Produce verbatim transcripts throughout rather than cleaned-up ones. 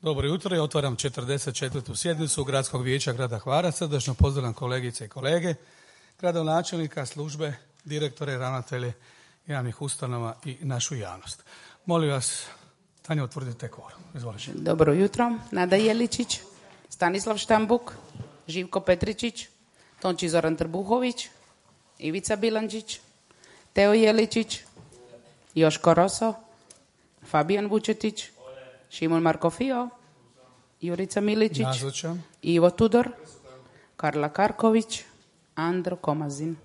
Dobro jutro, ja otvaram četrdeset četvrtu sjednicu Gradskog vijeća grada Hvara. Srdačno pozdravljam kolegice i kolege, gradonačelnika, službe, direktore, ravnatelje javnih ustanova i našu javnost. Molim vas, Tanja, utvrdite kvorum. Izvolite. Dobro jutro. Nada Jeličić, Stanislav Štambuk, Živko Petričić, Tonči Zoran Trbuhović, Ivica Bilandžić, Teo Jeličić, Joško Roso, Fabijan Vučetić, Šimon Markofio, Jurica Miličić, Nazočan. Ivo Tudor, Karla Karković, Andro Komazin.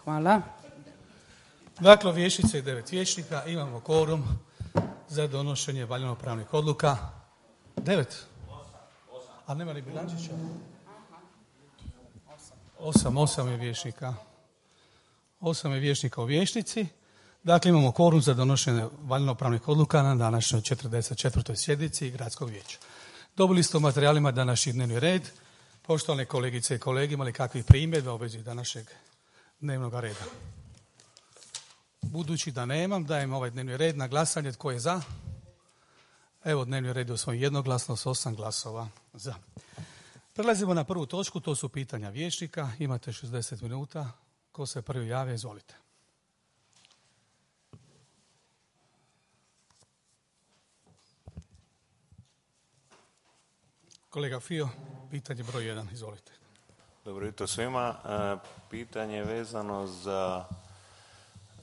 Hvala. Dakle, vijećnice i devet vijećnika, imamo kvorum za donošenje valjano-pravnih odluka. Devet? A nema li Bilandžića? Osam, osam je vijećnika. Osam je vijećnika u vijećnici. Dakle, imamo kvorum za donošenje valjano-pravnih odluka na današnjoj četrdeset četvrtoj sjednici Gradskog vijeća. Dobili ste u materijalima današnji dnevni red. Poštovane kolegice i kolege, imali kakvih primjedba u vezi današnjeg dnevnog reda? Budući da nemam, dajem ovaj dnevni red na glasanje. Tko je za? Evo, dnevni red je usvojen jednoglasno s osam glasova za. Prelazimo na prvu točku, to su pitanja vijećnika. Imate šezdeset minuta. Ko se prvi javlja, izvolite. Kolega Fio, pitanje broj jedan, izvolite. Dobro jutro svima. E, pitanje je vezano za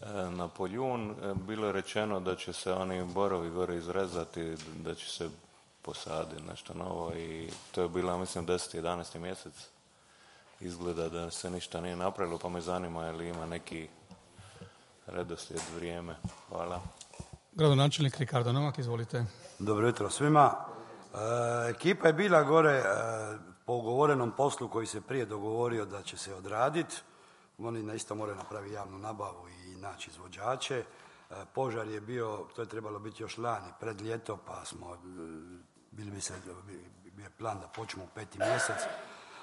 e, na Poljun. E, bilo je rečeno da će se oni borovi gore izrezati, da će se posaditi nešto novo i to je bilo, mislim, deseti jedanaesti mjesec. Izgleda da se ništa nije napravilo, pa me zanima je li ima neki redoslijed, vrijeme. Hvala. Gradonačelnik Ricardo Novak, izvolite. Dobro jutro svima. E, ekipa je bila gore e, po ugovorenom poslu koji se prije dogovorio da će se odraditi. Oni na isto moraju napraviti javnu nabavu i naći izvođače. E, požar je bio, to je trebalo biti još lani, pred ljeto, pa smo, e, bili bi se, bio je plan da počnemo u peti mjesec,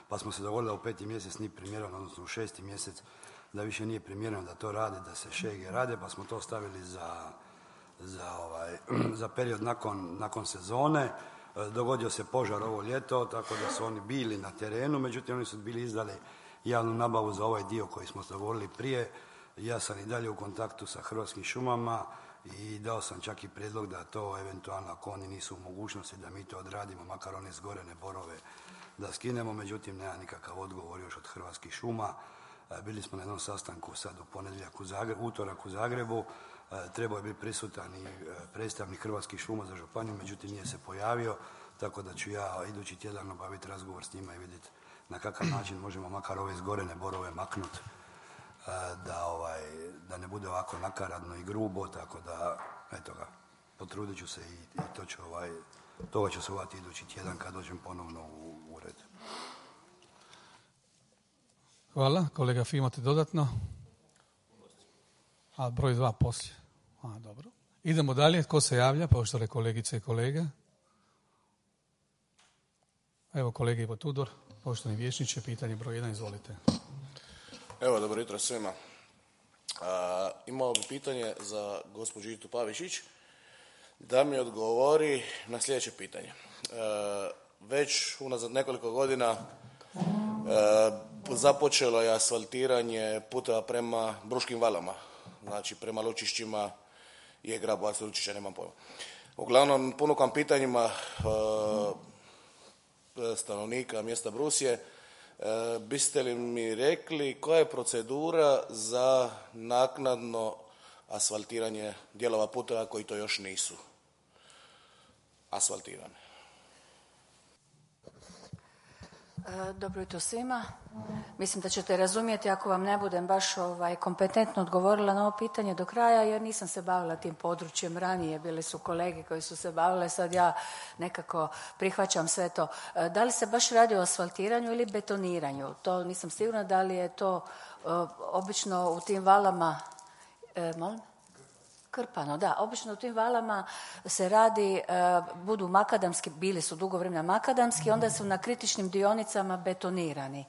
pa smo se dogovorili da u peti mjesec nije primjereno, odnosno u šesti mjesec, da više nije primjereno da to rade, da se šege rade, pa smo to stavili za, za, ovaj, za period nakon, nakon sezone. Dogodio se požar ovo ljeto, tako da su oni bili na terenu, međutim oni su bili izdali javnu nabavu za ovaj dio koji smo dogovorili prije. Ja sam i dalje u kontaktu sa Hrvatskim šumama i dao sam čak i prijedlog da to eventualno, ako oni nisu u mogućnosti, da mi to odradimo, makar one zgorene borove da skinemo, međutim nema nikakav odgovor još od Hrvatskih šuma. Bili smo na jednom sastanku sad u ponedjeljak u Zagrebu, utorak u Zagrebu. Trebao je biti prisutan i predstavnik Hrvatskih šuma za županiju, međutim nije se pojavio, tako da ću ja idući tjedan obaviti razgovor s njima i vidjeti na kakav način možemo makar ove zgorene borove maknuti, da, ovaj, da ne bude ovako nakaradno i grubo, tako da, eto ga, potrudit ću se i, i to ću, ovaj, toga ću se uvati idući tjedan kad dođem ponovno u ured. Hvala. Kolega Fi, imate dodatno? A broj dva poslije. A, dobro. Idemo dalje. Tko se javlja? Poštovane kolegice i kolege. Evo kolega Ivo Tudor, poštovani vijećniče, pitanje broj jedan, izvolite. Evo, dobro jutro svima. A, imao bi pitanje za gospođu Itu Pavišić da mi odgovori na sljedeće pitanje. A, već unazad nekoliko godina a, započelo je asfaltiranje puteva prema Bruškim valama, znači prema Lučišćima je Grabovac, Lučića, nemam pojma. Uglavnom, ponukam pitanjima uh, stanovnika mjesta Brusije. Uh, biste li mi rekli koja je procedura za naknadno asfaltiranje dijelova puteva koji to još nisu asfaltirane? Dobro jutro svima. Mislim da ćete razumjeti ako vam ne budem baš ovaj, kompetentno odgovorila na ovo pitanje do kraja, jer nisam se bavila tim područjem ranije. Bili su kolege koji su se bavile, sad ja nekako prihvaćam sve to. Da li se baš radi o asfaltiranju ili betoniranju? To nisam sigurna. Da li je to uh, obično u tim valama... E, molim? Krpano, da. Obično u tim valama se radi, uh, budu makadamski, bili su dugo vremena makadamski, onda su na kritičnim dionicama betonirani.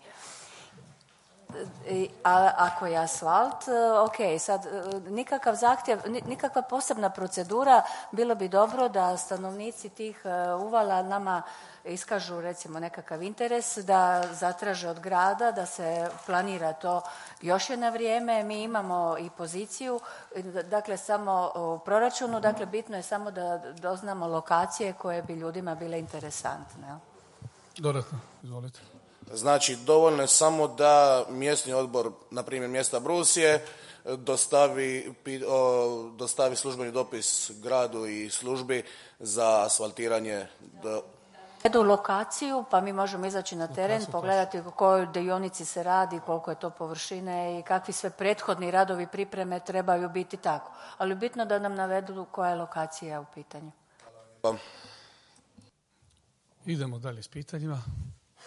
A ako je asfalt, ok, sad nikakav zahtjev, nikakva posebna procedura, bilo bi dobro da stanovnici tih uvala nama iskažu recimo nekakav interes, da zatraže od grada, da se planira to još je na vrijeme. Mi imamo i poziciju, dakle samo u proračunu, dakle bitno je samo da doznamo lokacije koje bi ljudima bile interesantne. Dodatno, izvolite. Znači, dovoljno je samo da mjesni odbor, na primjer mjesta Brusije, dostavi, dostavi službeni dopis gradu i službi za asfaltiranje. Do... Edu lokaciju, pa mi možemo izaći na teren, lokaciju, pogledati o kojoj dionici se radi, koliko je to površine i kakvi sve prethodni radovi pripreme trebaju biti tako. Ali bitno da nam navedu koja je lokacija u pitanju. Pa. Idemo dalje s pitanjima.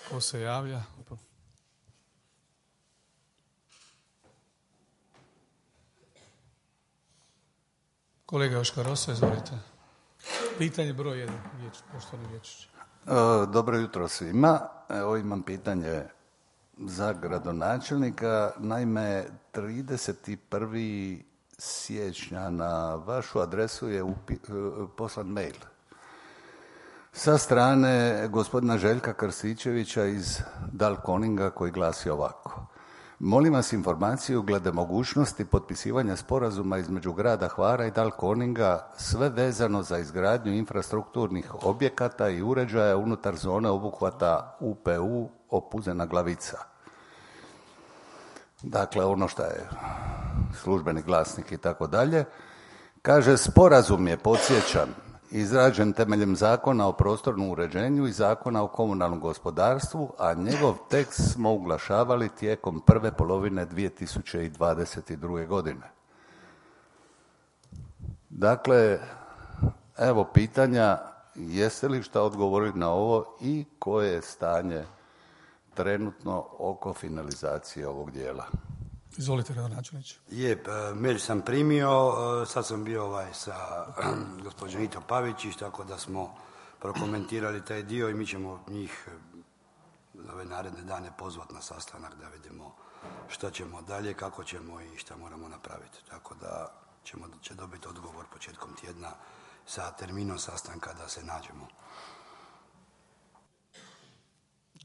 Ko se javlja? Kolega Joško Rosa, izvolite. Pitanje broj jedan, poštovani Vječić. Dobro jutro svima. Evo imam pitanje za gradonačelnika. Naime, trideset prvog siječnja na vašu adresu je upi, poslan mail sa strane gospodina Željka Krstičevića iz Dalkoninga koji glasi ovako. Molim vas informaciju glede mogućnosti potpisivanja sporazuma između grada Hvara i Dalkoninga, sve vezano za izgradnju infrastrukturnih objekata i uređaja unutar zone obuhvata U P U Opuzena Glavica. Dakle, ono što je službeni glasnik i tako dalje. Kaže, sporazum je, podsjećam, izrađen temeljem Zakona o prostornom uređenju i Zakona o komunalnom gospodarstvu, a njegov tekst smo uglašavali tijekom prve polovine dvije tisuće dvadeset druge. godine. Dakle, evo pitanja, jeste li šta odgovorili na ovo i koje je stanje trenutno oko finalizacije ovog dijela? Izvolite, gradonačelniče. Je, mail sam primio, sad sam bio ovaj sa gospođom Ito Pavičić, tako da smo prokomentirali taj dio i mi ćemo njih ove naredne dane pozvati na sastanak da vidimo što ćemo dalje, kako ćemo i šta moramo napraviti. Tako da ćemo, će dobiti odgovor početkom tjedna sa terminom sastanka da se nađemo.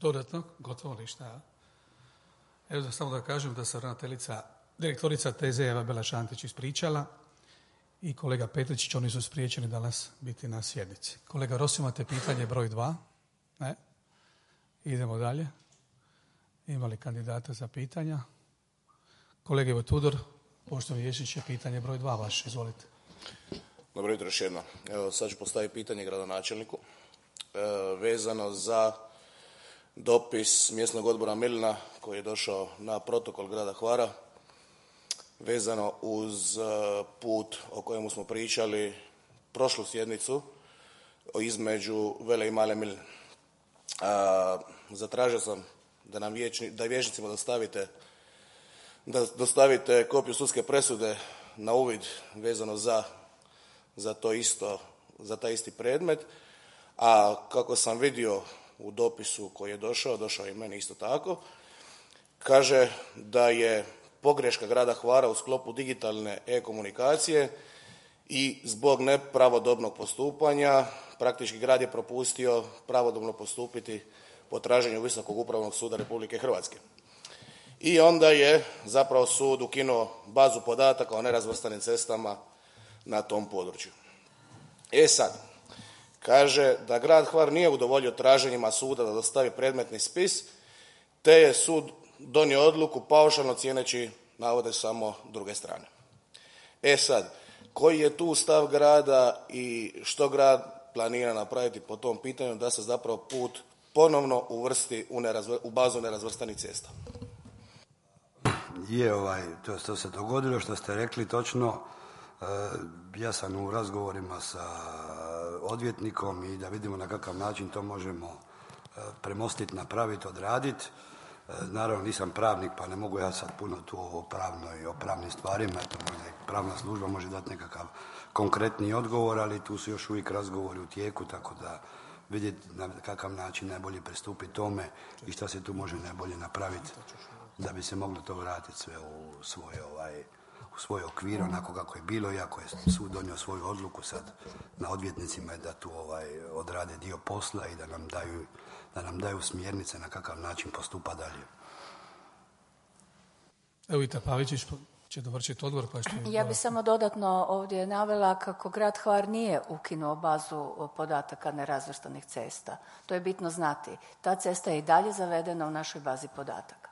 Dodatno, gotovo ništa. Evo da samo da kažem da se ravnateljica, direktorica T Z Eva Bela Šantić ispričala i kolega Petričić, oni su spriječeni danas biti na sjednici. Kolega Rossi, imate pitanje broj dva? Ne? Idemo dalje. Ima li kandidata za pitanja? Kolega Ivo Tudor, poštovani Ješić, je pitanje broj dva vaš, izvolite. Dobro jutro još jedno. Evo sad ću postaviti pitanje gradonačelniku e, vezano za dopis mjesnog odbora Milina koji je došao na protokol grada Hvara vezano uz put o kojemu smo pričali prošlu sjednicu između Vele i Male Miline. Zatražio sam da nam vječni, da vijećnicima dostavite, da dostavite kopiju sudske presude na uvid vezano za, za to isto, za taj isti predmet, a kako sam vidio u dopisu koji je došao, došao i meni isto tako, kaže da je pogreška grada Hvara u sklopu digitalne e-komunikacije i zbog nepravodobnog postupanja praktički grad je propustio pravodobno postupiti po traženju Visokog upravnog suda Republike Hrvatske. I onda je zapravo sud ukinuo bazu podataka o nerazvrstanim cestama na tom području. E sad, kaže da grad Hvar nije udovoljio traženjima suda da dostavi predmetni spis, te je sud donio odluku paušalno cijeneći navode samo druge strane. E sad, koji je tu stav grada i što grad planira napraviti po tom pitanju da se zapravo put ponovno uvrsti u, nerazvr- u bazu nerazvrstanih cesta? Je, ovaj, to, to se dogodilo što ste rekli točno. E, ja sam u razgovorima sa odvjetnikom i da vidimo na kakav način to možemo e, premostiti, napraviti, odraditi. E, naravno nisam pravnik pa ne mogu ja sad puno tu o pravnoj, o pravnim stvarima, eto možda i pravna služba može dati nekakav konkretni odgovor, ali tu su još uvijek razgovori u tijeku, tako da vidjeti na kakav način najbolje pristupiti tome i šta se tu može najbolje napraviti da bi se moglo to vratiti sve u svoj, ovaj, u svoj okvir, onako kako je bilo, iako je sud donio svoju odluku, sad na odvjetnicima je da tu ovaj, odrade dio posla i da nam daju, da nam daju smjernice na kakav način postupa dalje. Evo i Pavičić će dovršiti odgovor. Pa što... Ja bih samo dodatno ovdje navela kako grad Hvar nije ukinuo bazu podataka nerazvrstanih cesta. To je bitno znati. Ta cesta je i dalje zavedena u našoj bazi podataka.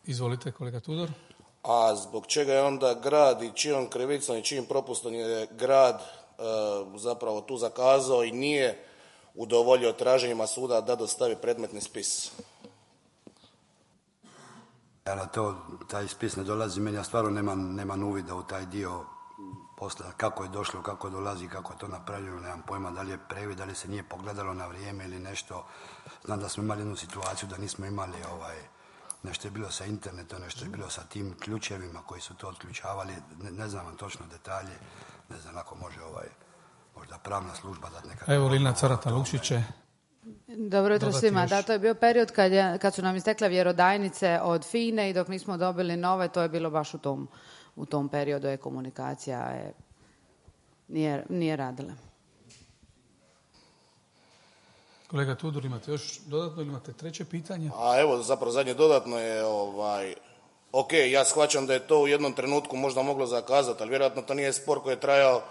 Izvolite, kolega Tudor. A zbog čega je onda grad i čijom krivicom i čijim propustom je grad e, zapravo tu zakazao i nije udovoljio traženjima suda da dostavi predmetni spis? Ja, to, taj spis ne dolazi meni, ja stvarno nemam, nemam uvida u taj dio posla, kako je došlo, kako dolazi, kako je to napravljeno, nemam pojma da li je previd, da li se nije pogledalo na vrijeme ili nešto. Znam da smo imali jednu situaciju da nismo imali ovaj, nešto je bilo sa internetom, nešto je bilo sa tim ključevima koji su to otključavali, ne, ne znam vam točno detalje, ne znam ako može ovaj, možda pravna služba dati neka... Evo Lina Carata Lukšiće. Dobro jutro svima. Da, to je bio period kad, je, kad su nam istekle vjerodajnice od FINE i dok nismo dobili nove, to je bilo baš u tom, u tom periodu je komunikacija je, nije, nije radila. Kolega Tudor, imate još dodatno ili imate treće pitanje? A evo, zapravo zadnje dodatno je, ovaj, ok, ja shvaćam da je to u jednom trenutku možda moglo zakazati, ali vjerojatno to nije spor koji je trajao,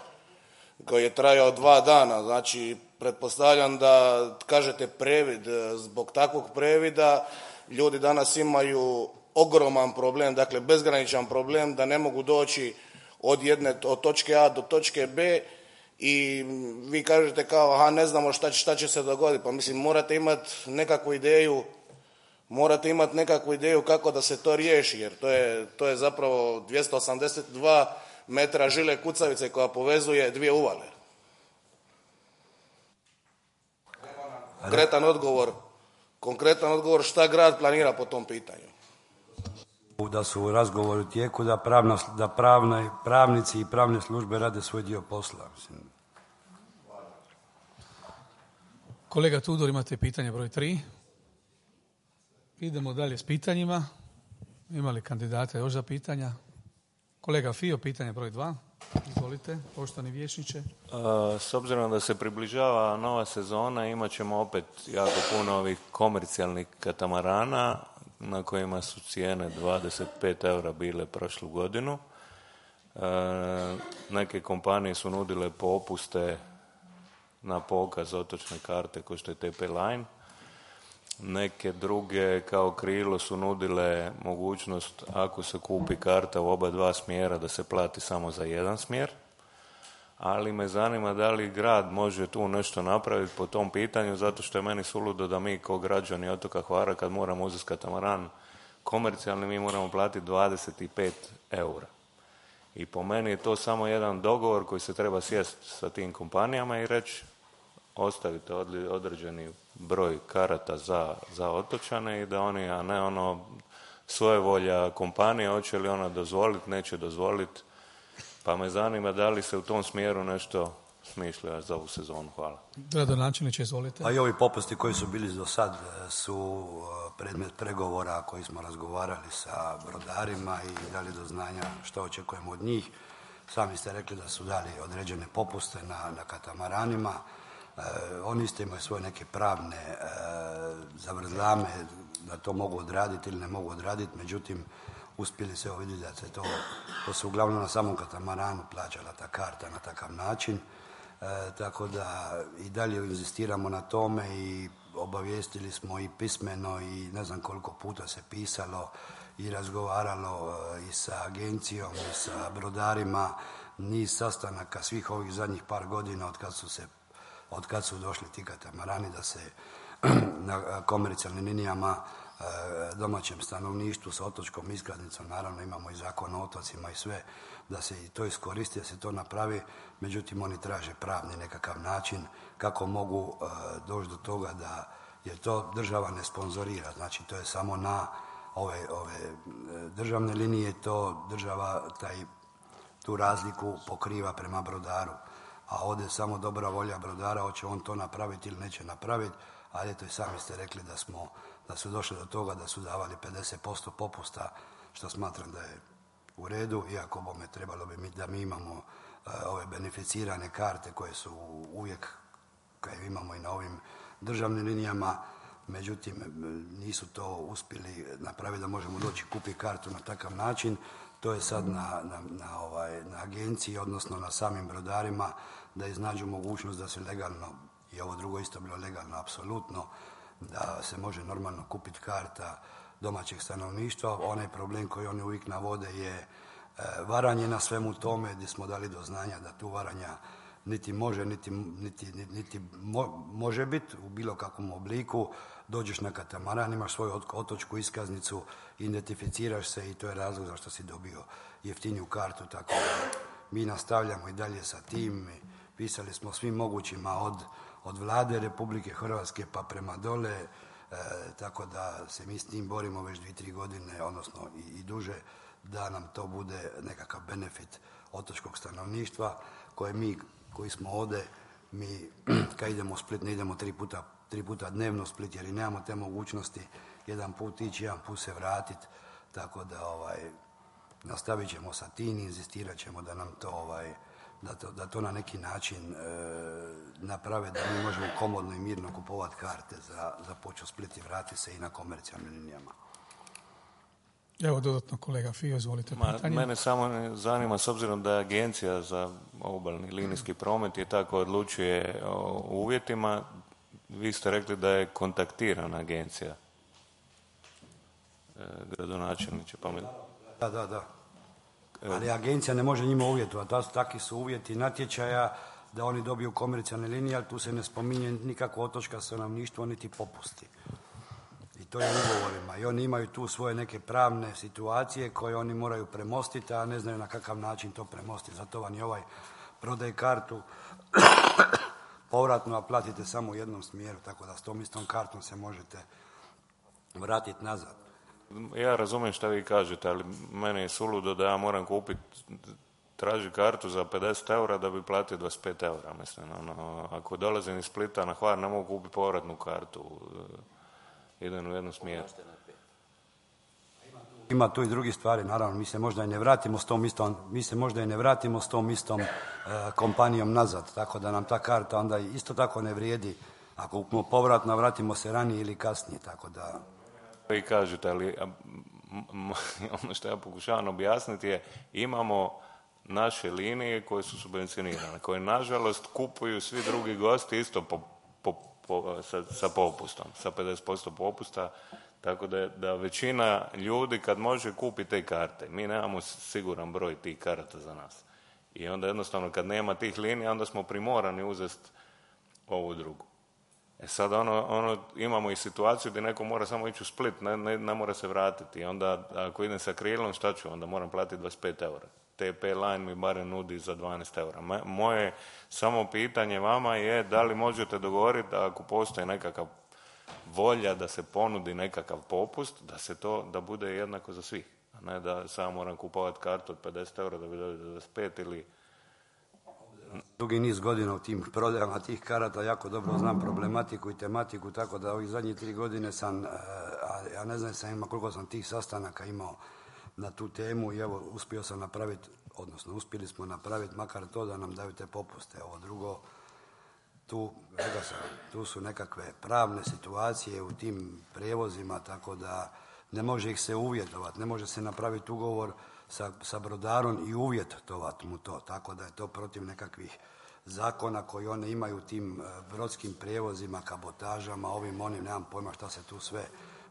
koji je trajao dva dana. Znači, pretpostavljam da kažete previd, zbog takvog previda ljudi danas imaju ogroman problem, dakle bezgraničan problem da ne mogu doći od jedne, od točke A do točke B i vi kažete kao, aha, ne znamo šta će, šta će se dogoditi. Pa mislim, morate imati nekakvu ideju, morate imati nekakvu ideju kako da se to riješi, jer to je, to je zapravo dvjesto osamdeset dva metra žile kucavice koja povezuje dvije uvale. Konkretan odgovor, konkretan odgovor šta grad planira po tom pitanju. Da su u razgovoru u tijeku, da, pravna, da pravna, pravnici i pravne službe rade svoj dio posla. Mislim. Kolega Tudor, imate pitanje broj tri. Idemo dalje s pitanjima. Ima li kandidata još za pitanja? Kolega Fio, pitanje broj dva. Izvolite, poštovani vijećniče. S obzirom da se približava nova sezona, imat ćemo opet jako puno ovih komercijalnih katamarana na kojima su cijene dvadeset pet eura bile prošlu godinu. E, neke kompanije su nudile popuste na pokaz otočne karte kao što je T P Line. Neke druge kao Krilo su nudile mogućnost ako se kupi karta u oba dva smjera da se plati samo za jedan smjer. Ali me zanima da li grad može tu nešto napraviti po tom pitanju, zato što je meni suludo da mi kao građani otoka Hvara kad moramo uzeti katamaran komercijalni mi moramo platiti dvadeset pet eura. I po meni je to samo jedan dogovor koji se treba sjesti sa tim kompanijama i reći ostavite određeni broj karata za, za otočane i da oni, a ne ono svoje volja kompanije, hoće li ona dozvoliti, neće dozvoliti. Pa me zanima da li se u tom smjeru nešto smišlja za ovu sezonu. Hvala. Gradonačelniče, izvolite. A i ovi popusti koji su bili do sad su predmet pregovora koji smo razgovarali sa brodarima i dali do znanja što očekujemo od njih. Sami ste rekli da su dali određene popuste na, na katamaranima. E, oni isto imaju svoje neke pravne e, zavrzlame da to mogu odraditi ili ne mogu odraditi, međutim uspjeli se vidjeti da se to, to se uglavnom na samom katamaranu plaćala ta karta na takav način. E, tako da i dalje inzistiramo na tome i obavijestili smo i pismeno i ne znam koliko puta se pisalo i razgovaralo i sa agencijom i sa brodarima, niz sastanaka svih ovih zadnjih par godina od kad su se od kad su došli ti katamarani da se na komercijalnim linijama domaćem stanovništvu sa otočkom iskaznicom, naravno imamo i zakon o otocima i sve, da se i to iskoristi, da se to napravi, međutim oni traže pravni nekakav način kako mogu uh, doći do toga da, jer to država ne sponzorira, znači to je samo na ove, ove državne linije, to država taj, tu razliku pokriva prema brodaru, a ovdje samo dobra volja brodara, hoće on to napraviti ili neće napraviti, ali eto i sami ste rekli da smo, da su došli do toga da su davali pedeset posto popusta, što smatram da je u redu, iako bome trebalo bi mi, da mi imamo uh, ove beneficirane karte koje su uvijek, koje imamo i na ovim državnim linijama, međutim nisu to uspjeli napraviti da možemo doći kupiti kartu na takav način. To je sad na, na, na, ovaj, na agenciji, odnosno na samim brodarima, da iznađu mogućnost da se legalno, i ovo drugo isto bilo legalno, apsolutno, da se može normalno kupiti karta domaćeg stanovništva. Onaj problem koji oni uvijek navode je e, varanje na svemu tome, gdje smo dali do znanja da tu varanja niti može, niti, niti, niti mo, može biti u bilo kakvom obliku. Dođeš na katamaran, imaš svoju otočku iskaznicu, identificiraš se i to je razlog zašto si dobio jeftiniju kartu. Tako da mi nastavljamo i dalje sa tim. Pisali smo svim mogućima od, od vlade Republike Hrvatske pa prema dole, e, tako da se mi s tim borimo već dvije, tri godine, odnosno i, i duže, da nam to bude nekakav benefit otočkog stanovništva koje mi koji smo ovdje, mi kad idemo u Split ne idemo tri puta, tri puta dnevno u Split jer i nemamo te mogućnosti, jedan put ići, jedan put se vratiti, tako da ovaj, nastavit ćemo sa tim, inzistirat ćemo da nam to, ovaj, da to, da to na neki način e, naprave, da mi možemo komodno i mirno kupovati karte za, za poču Split i vratiti se i na komercijalnim linijama. Evo dodatno kolega Fio, izvolite pitanje. Mene samo zanima, s obzirom da je Agencija za obalni linijski promet je tako odlučuje o uvjetima, vi ste rekli da je kontaktirana agencija. E, gradonačelniče, pa mi... Da, da, da. Ali agencija ne može njima uvjetovati. Takvi su uvjeti natječaja da oni dobiju komercijalne linije, ali tu se ne spominje nikako otočka stanovništvo niti popusti. I to je u ugovorima. I oni imaju tu svoje neke pravne situacije koje oni moraju premostiti, a ne znaju na kakav način to premostiti. Zato vam je ovaj prodaj kartu povratno, a platite samo u jednom smjeru, tako da s tom istom kartom se možete vratiti nazad. Ja razumijem što vi kažete, ali meni je suludo da ja moram kupiti, traži kartu za pedeset eura da bi platio dvadeset pet eura. Mislim, ono, ako dolazim iz Splita na Hvar, ne mogu kupiti povratnu kartu. Idem u jednu smjeru. Ima tu i drugi stvari, naravno, mi se možda i ne vratimo s tom istom, mi se možda i ne vratimo s tom istom e, kompanijom nazad, tako da nam ta karta onda isto tako ne vrijedi. Ako kupimo povratno, vratimo se ranije ili kasnije, tako da... Vi kažete, ali ono što ja pokušavam objasniti je, imamo naše linije koje su subvencionirane, koje nažalost kupuju svi drugi gosti isto po, po, po, sa, sa popustom, sa pedeset posto popusta, tako da, da većina ljudi kad može kupiti te karte, mi nemamo siguran broj tih karata za nas. I onda jednostavno kad nema tih linija, onda smo primorani uzeti ovu drugu. E sad ono, ono, imamo i situaciju gdje neko mora samo ići u Split, ne, ne, ne mora se vratiti. I onda ako idem sa krilom, šta ću? Onda moram platiti dvadeset pet eura. T P line mi barem nudi za dvanaest eura. Moje samo pitanje vama je da li možete dogovoriti da ako postoji nekakav volja da se ponudi nekakav popust, da se to, da bude jednako za svih. A ne da samo moram kupovati kartu od pedeset eura da bi dobio dvadeset pet ili... Dugi niz godina u tim prodajama tih karata, jako dobro znam problematiku i tematiku, tako da ovih zadnjih tri godine sam, a ja ne znam sam ima koliko sam tih sastanaka imao na tu temu i evo uspio sam napraviti, odnosno uspjeli smo napraviti makar to da nam daju te popuste. Ovo drugo, tu, rekao sam, tu su nekakve pravne situacije u tim prijevozima, tako da ne može ih se uvjetovati, ne može se napraviti ugovor sa, sa brodarom i uvjetovati mu to, tako da je to protiv nekakvih zakona koji one imaju u tim brodskim prijevozima, kabotažama, ovim, onim, nemam pojma šta se tu sve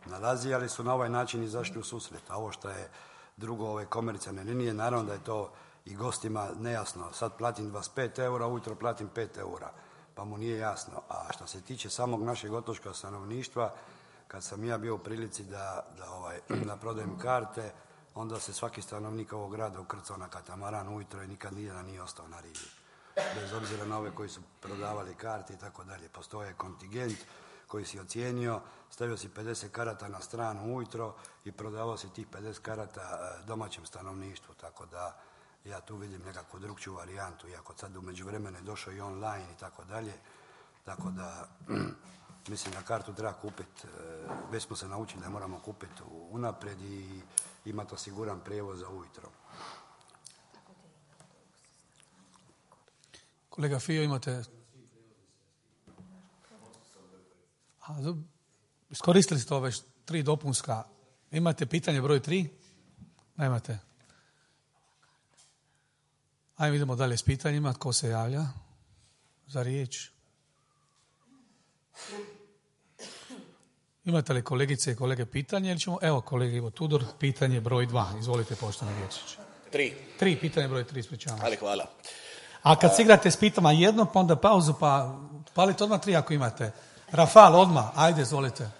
nalazi, ali su na ovaj način izašli u susret. A ovo što je drugo, ove komercijalne linije, naravno da je to i gostima nejasno. Sad platim dvadeset pet eura, ujutro platim pet eura, pa mu nije jasno. A što se tiče samog našeg otočkog stanovništva, kad sam ja bio u prilici da, da, ovaj, da prodajem karte, onda se svaki stanovnik ovog grada ukrcao na katamaran ujutro i nikad nijedan nije ostao na rivi. Bez obzira na ove koji su prodavali karte i tako dalje. Postoje kontingent koji si ocijenio, stavio si pedeset karata na stranu ujutro i prodavao si tih pedeset karata domaćem stanovništvu. Tako da Ja tu vidim nekakvu drugčiju varijantu, iako sad u međuvremenu je došao i online i tako dalje. Tako da, mislim da kartu treba kupiti, već smo se naučili da moramo kupiti unaprijed i imati osiguran prijevoz za ujutro. Kolega Fio, imate... A, iskoristili ste ove tri dopunska. Imate pitanje broj tri? Nemate. Ajmo idemo dalje s pitanjima. Tko se javlja za riječ? Imate li kolegice i kolege pitanje? Ili ćemo... Evo, kolega Ivo Tudor, pitanje broj dva. Izvolite, poštovani Vječić. Tri. Tri, pitanje broj tri, ispričavam. Ali hvala. A kad se igrate s pitama jedno, pa onda pauzu, pa palite odmah tri ako imate. Rafal, odmah, ajde, izvolite.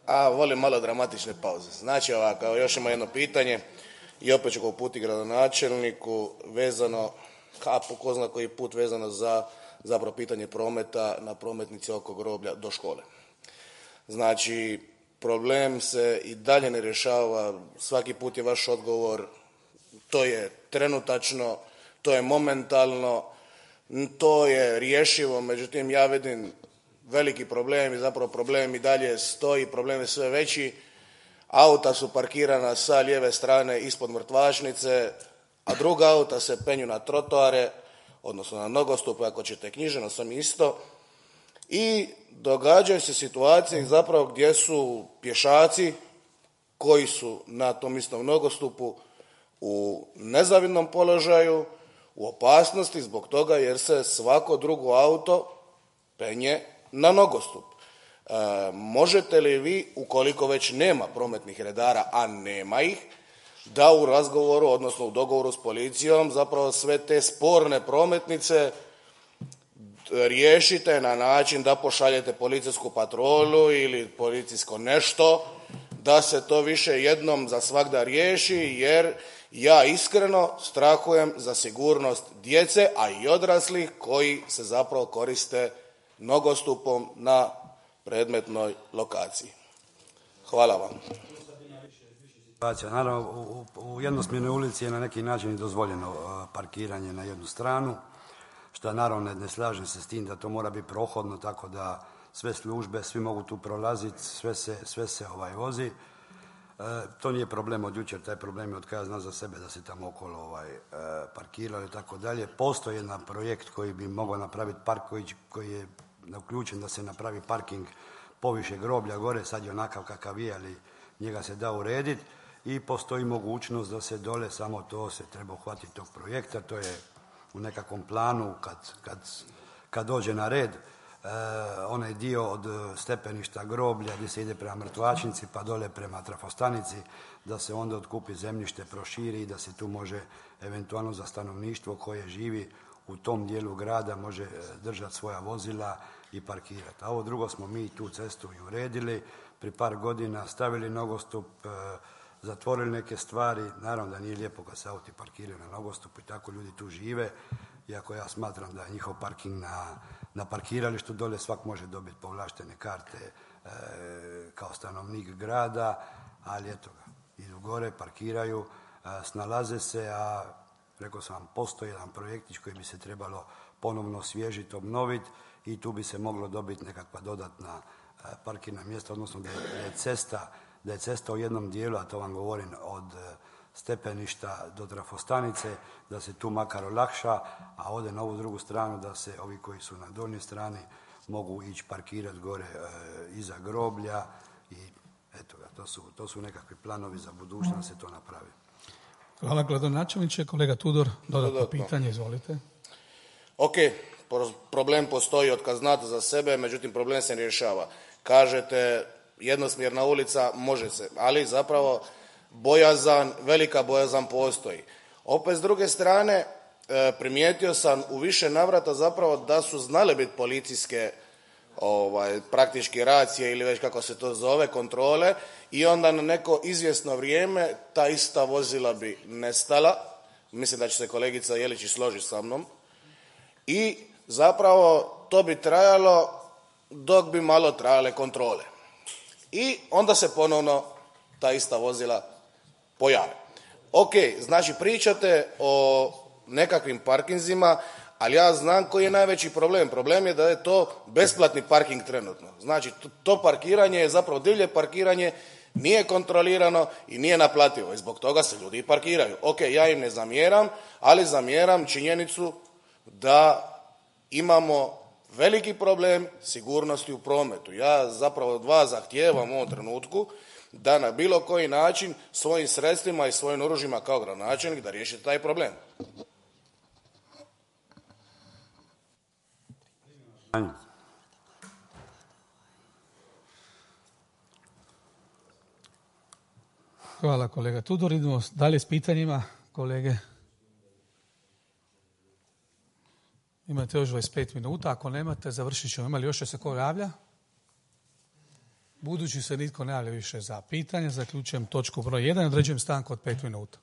A, volim malo dramatične pauze. Znači ovako, još ima jedno pitanje i opet ću ga uputiti gradonačelniku vezano, a po ko zna koji put vezano za zapravo pitanje prometa na prometnici oko groblja do škole. Znači, problem se i dalje ne rješava, svaki put je vaš odgovor, to je trenutačno, to je momentalno, to je rješivo, međutim ja vidim veliki problem i zapravo problem i dalje stoji, problem je sve veći. Auta su parkirana sa lijeve strane ispod mrtvačnice, a druga auta se penju na trotoare, odnosno na nogostupe, ako ćete knjiženo sam isto. I događaju se situacije zapravo gdje su pješaci koji su na tom istom nogostupu u nezavidnom položaju, u opasnosti zbog toga jer se svako drugo auto penje na nogostup. E, možete li vi, ukoliko već nema prometnih redara, a nema ih, da u razgovoru, odnosno u dogovoru s policijom, zapravo sve te sporne prometnice riješite na način da pošaljete policijsku patrolu ili policijsko nešto, da se to više jednom za svagda riješi, jer ja iskreno strahujem za sigurnost djece, a i odraslih koji se zapravo koriste nogostupom na predmetnoj lokaciji. Hvala vam. Naravno, u, u jednosmjernoj ulici je na neki način dozvoljeno parkiranje na jednu stranu, što naravno ne, ne slažem se s tim da to mora biti prohodno, tako da sve službe, svi mogu tu prolaziti, sve se, sve se ovaj vozi. E, to nije problem od jučer, taj problem je od kada znam za sebe da se tamo okolo ovaj, e, parkiralo i tako dalje. Postoji jedan projekt koji bi mogao napraviti park koji, koji je uključen da se napravi parking poviše groblja gore, sad je onakav kakav je, ali njega se da urediti i postoji mogućnost da se dole, samo to se treba uhvatiti tog projekta, to je u nekakvom planu kad, kad, kad dođe na red, e, onaj dio od stepeništa groblja gdje se ide prema mrtvačnici pa dole prema trafostanici, da se onda otkupi zemljište, proširi i da se tu može eventualno za stanovništvo koje živi u tom dijelu grada može držati svoja vozila i parkirati. A ovo drugo smo mi tu cestu i uredili, pri par godina stavili nogostup, e, zatvorili neke stvari, naravno da nije lijepo kad se auti parkiraju na nogostupu i tako ljudi tu žive, iako ja smatram da je njihov parking na, na parkiralištu dole svak može dobiti povlaštene karte e, kao stanovnik grada, ali eto ga, idu gore, parkiraju, e, snalaze se, a rekao sam vam, postoji jedan projektić koji bi se trebalo ponovno osvježiti, obnoviti i tu bi se moglo dobiti nekakva dodatna e, parkirna mjesta, odnosno da je, da je cesta da je cesta u jednom dijelu, a to vam govorim od stepeništa do trafostanice, da se tu makar olakša, a ode na ovu drugu stranu da se ovi koji su na donjoj strani mogu ići parkirati gore e, iza groblja i eto ga, to su, to su nekakvi planovi za budućnost da se to napravi. Hvala gradonačelniče. Kolega Tudor, dodatno, dodatno. pitanje, izvolite. Ok, problem postoji od kad znate za sebe, međutim problem se ne rješava. Kažete jednosmjerna ulica, može se, ali zapravo bojazan, velika bojazan postoji. Opet s druge strane, primijetio sam u više navrata zapravo da su znale biti policijske ovaj, praktički racije ili već kako se to zove, kontrole i onda na neko izvjesno vrijeme ta ista vozila bi nestala. Mislim da će se kolegica Jelić složiti sa mnom. I zapravo to bi trajalo dok bi malo trajale kontrole. I onda se ponovno ta ista vozila pojave. Ok, znači pričate o nekakvim parkinzima, ali ja znam koji je najveći problem. Problem je da je to besplatni parking trenutno. Znači, to, to parkiranje je zapravo divlje parkiranje, nije kontrolirano i nije naplativo. I zbog toga se ljudi parkiraju. Ok, ja im ne zamjeram, ali zamjeram činjenicu da imamo veliki problem sigurnosti u prometu. Ja zapravo od vas zahtijevam u ovom trenutku da na bilo koji način svojim sredstvima i svojim oružjima kao gradonačelnik da riješite taj problem. Hvala kolega Tudor. Idemo dalje s pitanjima, kolege. Imate još dvadeset pet minuta, ako nemate, završit ćemo. Ima li još se ko javlja? Budući se nitko ne javlja više za pitanje, zaključujem točku broj jedan i određujem stanku od pet minuta.